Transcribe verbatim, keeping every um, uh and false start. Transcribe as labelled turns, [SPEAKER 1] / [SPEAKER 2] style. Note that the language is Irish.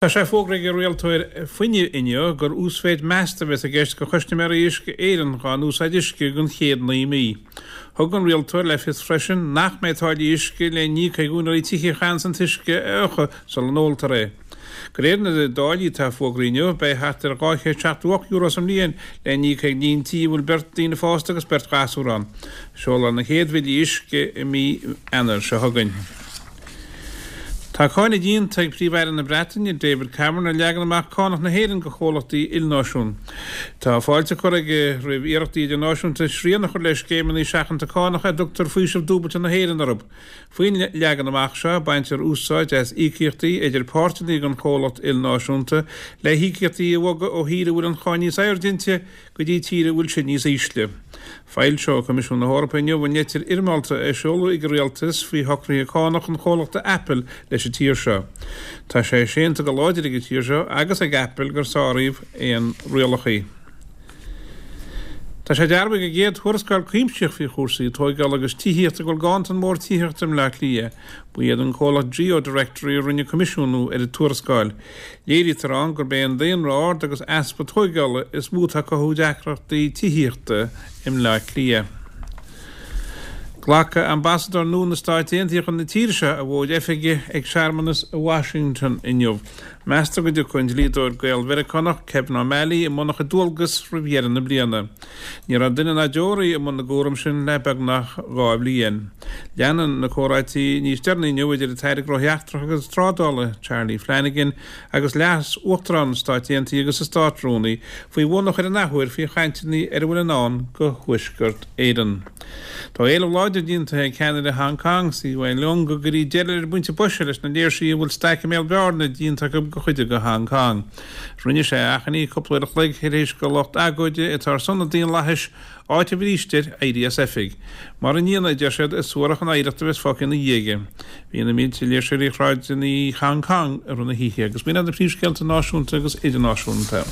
[SPEAKER 1] Tá sé fógraithe ag an rialtóir fuinnimh inniu gur uasmhéid measta a bheas i gceist do chustaiméirí Uisce Éireann dá n-úsáid uisce don chéad naoi mí. Thug an rialtóir le fios freisin nach mbeidh táillí uisce le n-íoc ag úinéirí tithe a chaitheanns an t-uisce a fhiuchadh sula n-óltar é. De réir na dtáillí atá fógraithe inniu, beidh thart ar dhá chéad seachtó ocht euro sa mbliain le n-íoc ag líon tí a bhfuil beirt daoine fásta agus beirt ghasúr ann. Seolfar na chéad bhillí uisce i mí Eanáir seo chugainn. Tá cáineadh déanta ag Príomh-Aire na Breataine, David Cameron, ar leagan amach cánach na hÉireann do chomhlachtaí ilnáisiún. Tá fáilte curtha aige roimh iarrachtaí idirnáisiúnta srian a chur le scéimeanna seachanta cánach a dtugtar faoiseamh dúbailte na hÉireann orthu. Faoin leagan amach seo, baintear úsáid as íocaíochtaí idir páirteanna den chomhlacht ilnáisiúnta le híocaíochtaí a bhogadh ó thír a bhfuil an cháin níos airde inti go dtí tír a bhfuil sí níos ísle. Foilseoidh Coimisiún na hEorpa inniu an litir fhoirmeálta a seoladh ag an rialtas faoi shocruithe cánach an chomhlachta Apple leis an tír seo. Tá sé séanta go láidir ag an tír seo agus ag Apple gur sáraíodh aon rialacha. Tá sé dearbhaithe ag an gcéad tuarascáil cuimsitheach faoi chúrsaí tóigeála agus tithíochta go bhfuil ganntan mór tithíochta i mBleá Cliath. Ba iad an comhlacht GeoDirectory a rinne coimisiúnú ar an tuarascáil. Léirítear ann gurb é an daonra ard agus easpa tóigeála is mó atá ag cothú deacrachtaí tithíochta i mBleá Cliath. Glacfaidh ambasadóir nua na Stáit Aontaithe chun na tíre seo a mhóid oifige ag searmanas i Washington inniu. Meastar go dtiocfaidh an dlíodóir Gael-Mheiriceánach Kevin O'Malley i mbun a chuid dualgas roimh dheireadh na bliana. Ní raibh duine ná deoraí i mbun na gcúram sin le beagnach dhá bhliain. Leanann na comhráití níos deireanaí inniu idir an tAire Gnóthaí Eachtracha agus Trádála Charlie Flanagan agus Leas-Uachtarán na Stáit Aontaithe agus a Státrúnaí faoi bhun a chur in athuair faoi chainteanna ar a bhfuil i ndán do Thuaisceart Éireann. Tá éileamh láidir déanta ag ceannaire Hong Kong, CY Leung, go gcuirfí deireadh ar an bpointe boise leis na léirsithe a bhfuil staic i mbéal bearna déanta acu de chuid de Hong Kong. Rinne sé a achainí cúpla uair a chloig tar éis do lucht agóide atá ar son an daonlathais áiteamh arís air éirí as oifig. Mar a ndéanamh, a deir siad, is suarach an oidhreacht a bheas fágtha ina dhiaidh aige. Bhí na mílte léirseoirí ar shráideanna Hong Kong i rith na hoíche agus b'in iad na príomhscéalta náisiúnta agus idirnáisiúnta.